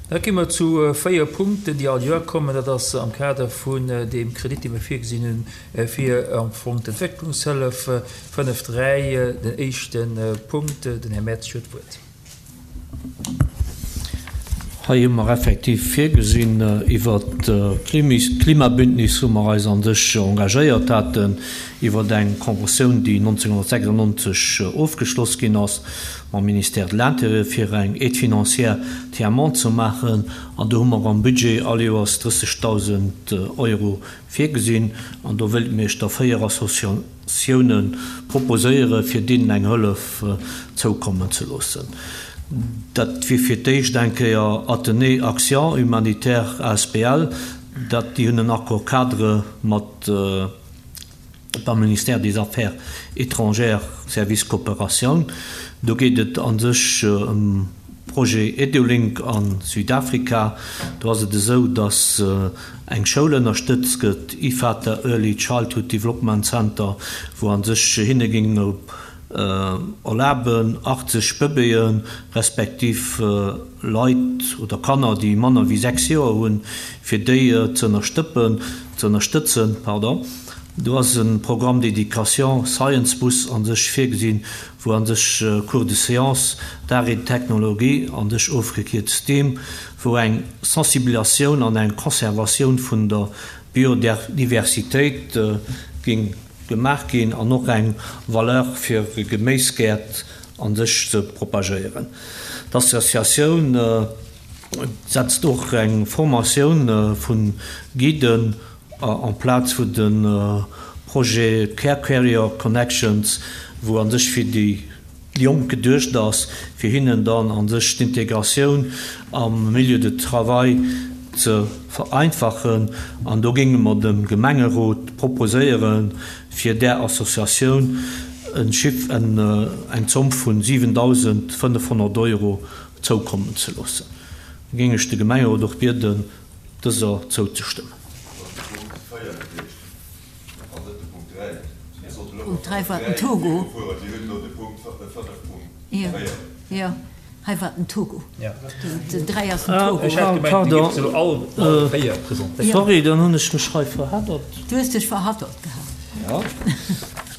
Da gi mer zu 4 Punkten, déi all Joer kommen. Dat ass am Kader vun deem Kredit, dee mer virgesinn hunn fir am Fong d'Entwécklungshëllef. 5, 3, den éischte Punkt. Den Här Mertz huet d'Wuert. Hei hu mer effektiv virgesinn, iwwert d'Klimabündnis, wou mer eis a sech engagéiert haten, iwwert eng Conventioun, déi 1996 ofgeschloss ginn ass mam Ministère de l'Intérieur, fir eng Aide financière tiers-monde ze maachen. An do hu mer am Budget all Joers 30.000 Euro virgesinn. An do wéilte mir Iech da 4 Associatioune proposéieren, fir deenen eng Hëllef zoukommen ze loossen. Dat wier fir d'éischt eng Kéier Athenée Action Humanitaire asbl. Dat, déi hunn en Accord-cadre mat beim Ministère des Affaires étrangères, Service Coopération. Do geet et a sech ëm Projet Edulink a Südafrika. Do ass et esou, datt eng Schoul ënnerstëtzt gëtt, Ifata Early Childhood Development Center, wou a sech hinne géing erlaben, 80 Bëbeeë respektiv Leit oder Kanner, déi manner wéi 6 Joer hunn, fir déi ze ënnerstëppen, ze ënnerstëtzen. Pardon. Do ass e Programme d'éducation Science Bus a sech virgesinn, wou a sech Cours de sciences, d'art et de technologie, a sech ofgekierzt STEAM, wou eng Sensibilisatioun an eng Conservatioun vun der Biodiversitéit géing gemaach ginn an och eng Valeur fir Geméisgäert a sech ze propagéieren. D'Associatioun setzt och eng Formatioun vu Guiden en place wou de Projet Care Carrier Connections, wou a sech fir déi Jonk geduecht ass, fir hinnen dann a sech d'Integratioun am Milieu de travail ze vereinfachen. An do géinge mer dem Gemengerot proposéieren, fir där Associatioun en Chiff, eng Zomm vu 7.500 Euro zoukommen ze loossen. Da géing ech de Gemengerot och bieden, dëser zouzestëmmen. Punkt 3 war den Togo. Jo, jo, hei war den Togo. Den 3 ass den Togo. Pardon, sorry, dann hunn ech mech hei verhaddert. Du hues dech verhaddert gehat.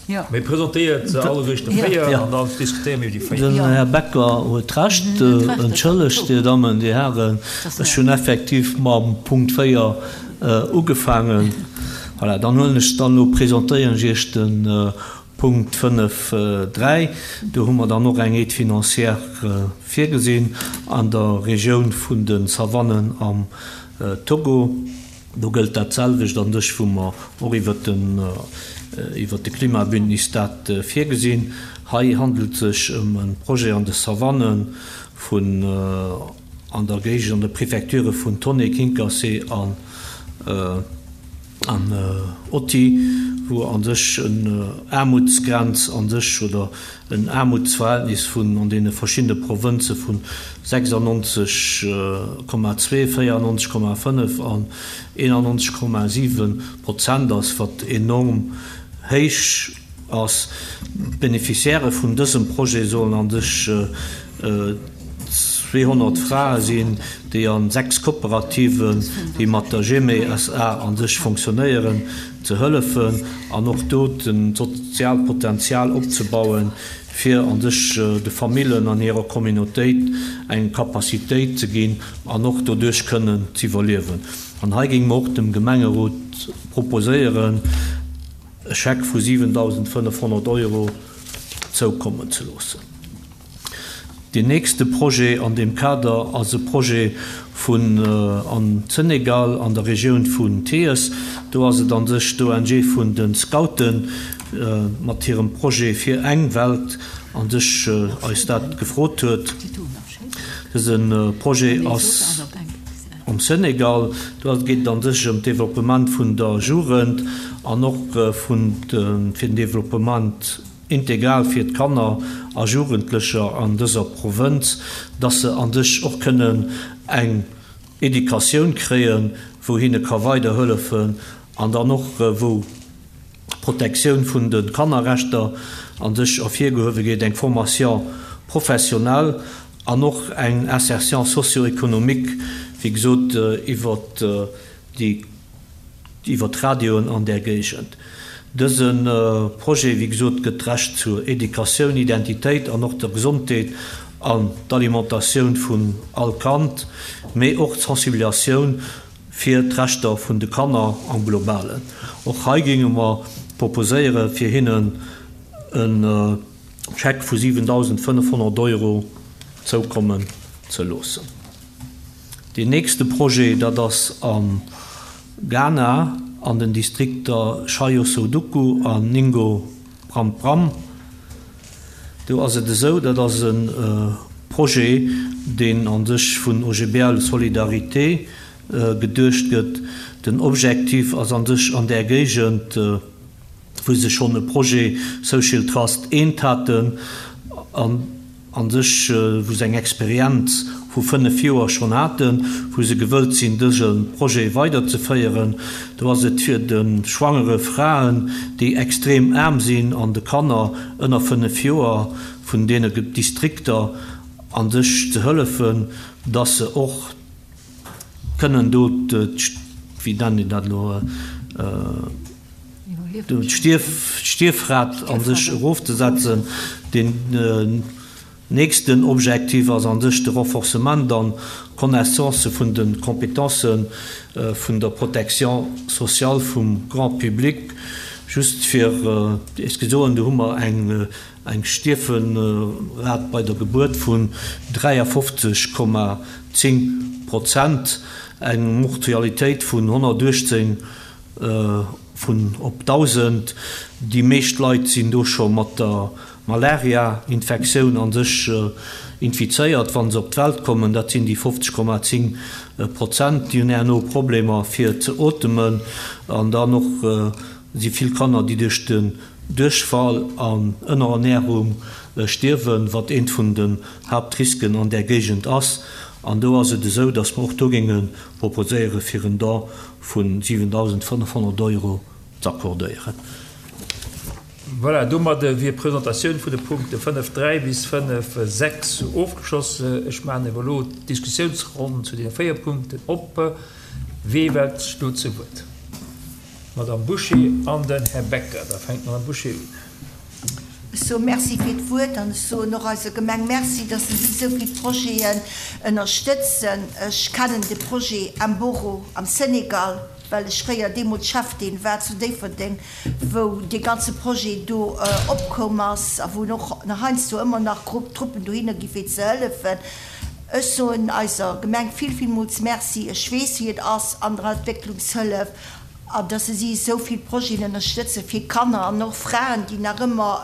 Jo. Mee presentéiert se alleguerten 4 an dann diskutéiere mir iwwer déi 4. Den Här Becker huet Recht. Entschëllegt, Dir Dammen, Dir Hären, ech hunn effektiv mam Punkt 4 ugefaangen. Voilà, dann huelen ech dann elo, presentéieren ech Iech de Punkt 5, 3. Do hu mer dann och eng Aide financière virgesinn an der Regioun vun de Savannen am Togo. Do gëllt dat selwecht an sech, wou mer och iwwert den, iwwert de Klimabündnis dat virgesinn. Hei handelt et sech ëm e Projet an de Savanne vun, an der Géigend, an de Prefecture vun Tone, Kinkassé an an Oti, wou a sech en Aarmutsgrenz a sech oder en Aarmutsverhältnis vun an deene verschiddene Provënze vun 96,2, 94,5 an 91,7 Prozent ass, wat enorm héich ass. D'Beneficiairë vun dësem Projet sollen a sech 200 Frae sinn, déi a 6 Kooperativen, déi mat der Gemé SA a sech fonctionnéieren, ze hëllefen an och do d'soziaalt Potenzial opzebauen, fir a sech de Famillen an hirer Communautéit eng Capacitéit ze ginn an och doduerch kënnen z'iwwerliewen. An hei géinge mer och dem Gemengerot proposéieren, e Scheck vu 7.500 Euro zoukommen ze loossen. Deen nächste Projet an deem Kader ass e Projet vun am Senegal an der Regioun vun Thiès. Do ass et a sech d'ONG vun de Scouten mat hirem Projet Fir eng Welt a sech eis dat gefrot huet. Dëse Projet ass am Senegal. Do geet et a sech ëm d'Developpement vun der Jugend an och vun de fir den Developpement integral fir d'Kanner a Jugendlecher an dëser Provënz, dass se an sech och kënnen eng Educatioun kréien, wou hinne ka weiderhëllefen an dann och wou d'Protektioun vun de Kannerrechter an sech ervirgehuewe gétt, eng Formation professionnelle. An och eng Insertion socio-économique, wéi gesot, iwwert déi, iwwert d'Radioen an där Géigend. Dëse Projet, wéi gesot, gëtt d'Recht zur Educatioun, Identitéit an och der Gesondheet an d'Alimentatioun vun all Kand, mee och d'Sensibilisatioun fir d'Rechter vun de Kanner am Globalen. Och hei géinge mer proposéiere fir hinnen e Scheck vu 7.500 Euro zoukommen ze loossen. Deen nächste Projet, dat ass am Ghana an den Distrikter Shai-Osudoku an Ningo Prampram. Do ass et esou, dat ass e Projet, deen a sech vun OGBL Solidarité geduecht gëtt. Den Objektiv ass a sech an där Géigend, wou se schonn e Projet Social Trust I haten an a sech, wou se eng Experienz vu 5 Joer schonn haten, wou se gewëllt sinn, dëse Projet weiderzeféieren. Do ass et fir de schwangere Fraen, déi extrem aarm sinn, an de Kanner ënner 5 Joer vun deene Distrikter a sech ze hëllefen, dass se och kënnen do, wéi nennen een dat elo, d'Stierfrat a sech erofzesetzen. Deen nächsten Objektiv ass a sech de Renforcement an d'Connaissance vun de Compétencë vun der Protection sociale vum Grand public. Just fir Iech ze soen, do hu mer eng Stierfrat bei der Gebuert vun 53,10 Prozent, eng Mortualitéit vun 118 vun op 1.000. Déi meescht Leit sinn do scho mat der Malaria-Infektioun a sech infizéiert, wa se op d'Welt kommen. Dat sinn déi 50,10 Prozent. Déi hunn herno Problemer fir ze otemen. An dann och si vill Kanner, déi duerch den Duerchfall an Ënnerernärung stierwen, wat eent vun den Haaptrisken an där Géigend ass. An do ass et esou, datt mer och do géinge proposéiere fir en Don vu 7.500 Euro z'accordéieren. Voilà, domadde wier d'Presentatioun vun de Punkte 5, 3 bis 5, 6 ofgeschloss. Ech maachen awer elo d'Diskussiounsronn zu deene 4 Punkten op. Wee wellt sech do zu Wuert? D'Madame Bouché an den Här Becker. Da fänkt d'Madame Bouché un. Ech soe Merci fir d'Wuert an ech soen och eiser Gemeng Merci, dass se si esou vill Projeten ënnerstëtzen. Ech kennen de Projet Mboro am Senegal, well ech fréier deemools Cheftaine war zu Déifferdeng, wou dee ganze Projet do opkoum ass a wou och nach heiansdo ëmmer nach Truppen dohinner gi fir ze hëllefen. Ech soen eiser Gemeng vill, villmools Merci. Ech weess, wéi et ass an der Entwécklungshëllef. An dass se si esou vill Projeten ënnerstëtzen fir Kanner an och Fraen, déi nach ëmmer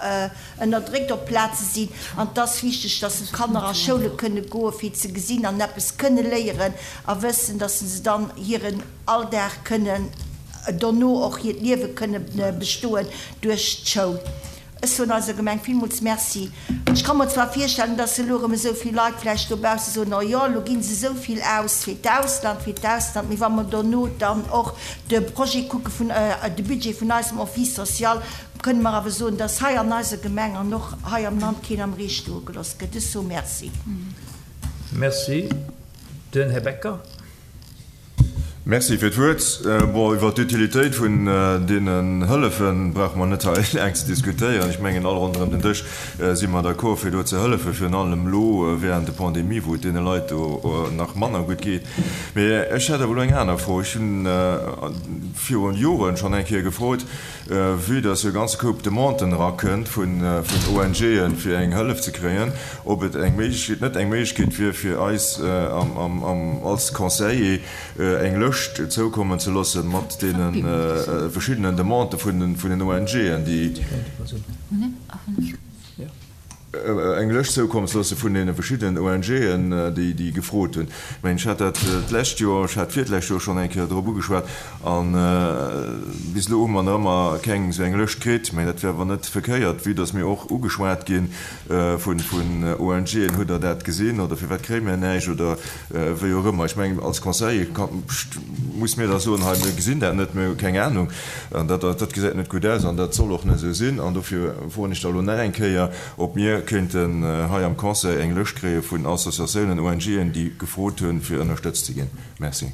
ënnerdréckt op Plaze sinn. An et ass wichteg, dass se d'Kanner a Schoule kënne goen, fir ze gesinn an eppes kënne léieren a wëssen, dass se dann hiren Alldag kënnen, dono och hiert Liewe kënne bestoen duerch d'Schoul. Ech soen eiser Gemeng villmools Merci. Ech ka mer zwar virstellen, dass elo erëm esou vill Leit vläicht dobausse soen, Oh jo, elo gi se esou vill aus fir d'Ausland, fir d'Ausland. Mee wa mer dono dann och de Projet kucke vun, de Budget vun eisem Office social, kënne mer awer soen, dass hei an eiser Gemeng an och hei am Land keen am Ree stoe gelooss gëtt. Ech soe Merci. Merci. Den Här Becker. Merci fir d'Wuert. Bon, iwwert d'Utilitéit vun deenen Hëllefe brauche mer net hei laang ze diskutéieren. Ech mengen, all ronderëm den Dësch si mer d'accord, fir do ze hëllefen, virun allem elo während de Pandemie, wou et deene Leit do nach manner gutt geet. Mee ech hätt awer elo eng aner Fro. Ech hunn viru Joren schonn eng Kéier gefrot, Vue dass jo e ganze Koup Demanden erakënnt vun ONGen, fir eng Hëllef ze kréien, ob et eng Méiglechkeet, net eng Méiglechkeet wier, fir eis als Conseiller eng Lëscht zoukommen ze loosse mat deene verschiddenen Demandë vun den ONGen, déi. Eng Lëscht zoukommen ze loosse vun deene verschiddenen ONGen, déi gefrot hunn. Ech mengen, ech hat dat d'lescht Joer, ech hat d'virlescht Joer schonn eng Kéier drop ugeschwat a bis elo hu mer nach ëmmer keng esou eng Lëscht kritt. Mä dat wär awer net verkéiert, vue dass mir och ugeschwat gi vun ONGen, Hutt Der dat gesinn oder firwat kréie mir näischt oder wéi och ëmmer. Ech mengen, als Conseiller muss mir da soen, hei, mir gesinn dat net, mir hu keng Anung an dat, dat gesäit net gutt aus an dat soll och net esou sinn. An dofir froen ech da elo nach eng Kéier, ob mir. kéinten hei am Conseil eng Lëscht kréie vun Associatiounen, ONGen, déi gefrot hunn, fir ënnerstëtzt ze ginn. Merci.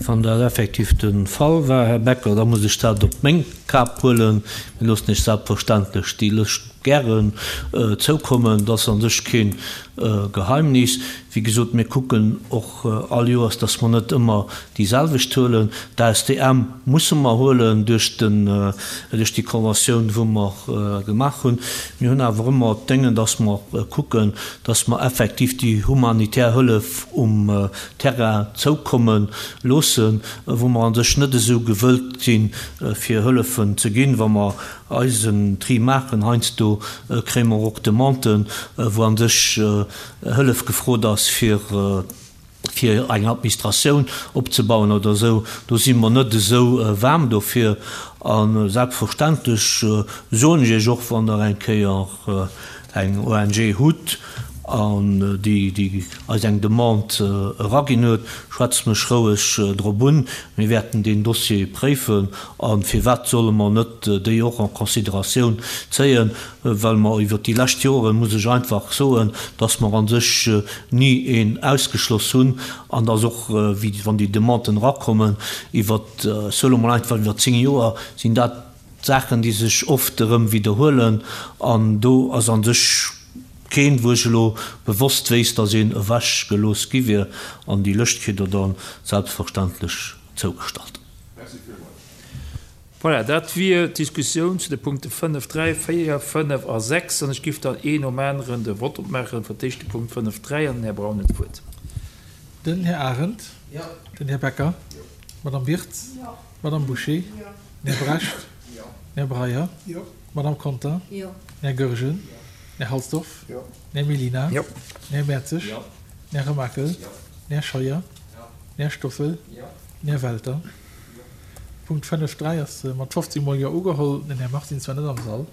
Wann dat effektiv de Fall war, Här Becker, da muss ech dat op meng Kap huelen. Mir loossen Iech selbstverständlech déi Lëscht gären zoukommen. Dat ass a sech kee Geheimnis. Wéi gesot, mir kucken och all Joers, dass mer net ëmmer déi selwecht huelen. D'ASTM musse mer huelen duerch den, duerch déi Conventioun, wou mer gemaach hunn. Mir hunn awer ëmmer d'Déngen, dass mer kucken, dass mer effektiv déi humanitär Hëllef um Terrain zoukomme loossen, wou mer a sech net esou gewëllt sinn, fir Hëllefen ze ginn, wa mer eisen Tri maachen. Heiansdo kréie mer och Demanden, wou a sech Hëllef gefrot ass, fir fir eng Administratioun opzebauen oder esou. Do si mer net esou waarm dofir. A selbstverständlech soen ech Iech och, wann Der eng Kéier eng ONG hutt, an déi, déi eis eng Demande eraginn huet, schwätzt mech roueg drop un. Mir wäerten deen Dossier préifen. A firwat solle mer net déi och en considératioun zéien? Well mer iwwert déi lescht Joren, muss ech einfach soen, dass mer a sech ni een ausgeschloss hunn an dass och, wéi wann déi Demanden erakommen, iwwert, ech soe lo mol einfach iwwer 10 Joer, sinn dat Saachen, déi sech oft erëm widderhuelen. An do ass a sech keen, wou ech elo bewosst wéisst, dass een ewechgelooss gi wier. An déi Lëscht kritt Der da selbstverständlech zougestallt. Merci villmools. Voilà, dat wier d'Diskussioun zu de Punkte 5, 3, 4, 5 a 6. An ech giff dann een nom aneren de Vott opmaachen. Fir d'éischt de Punkt 5, 3 an den Här Braun huet d'Wuert. Den Här Arendt. Den Här Becker. D'Madame Wirtz. D'Madame Bouché. Den Här Brecht. Den Här Breyer. D'Madame Conter. Den Här Goergen. Den Här Halsdorf. Den Här Mellina. Den Här Mertzig. Den Här Remakel. Den Här Scheuer. Den Här Stoffel. Den Här Welter. Punkt 5, 3 ass mat 15 mol Jo ugeholl. Den Här Martins war net am Sall.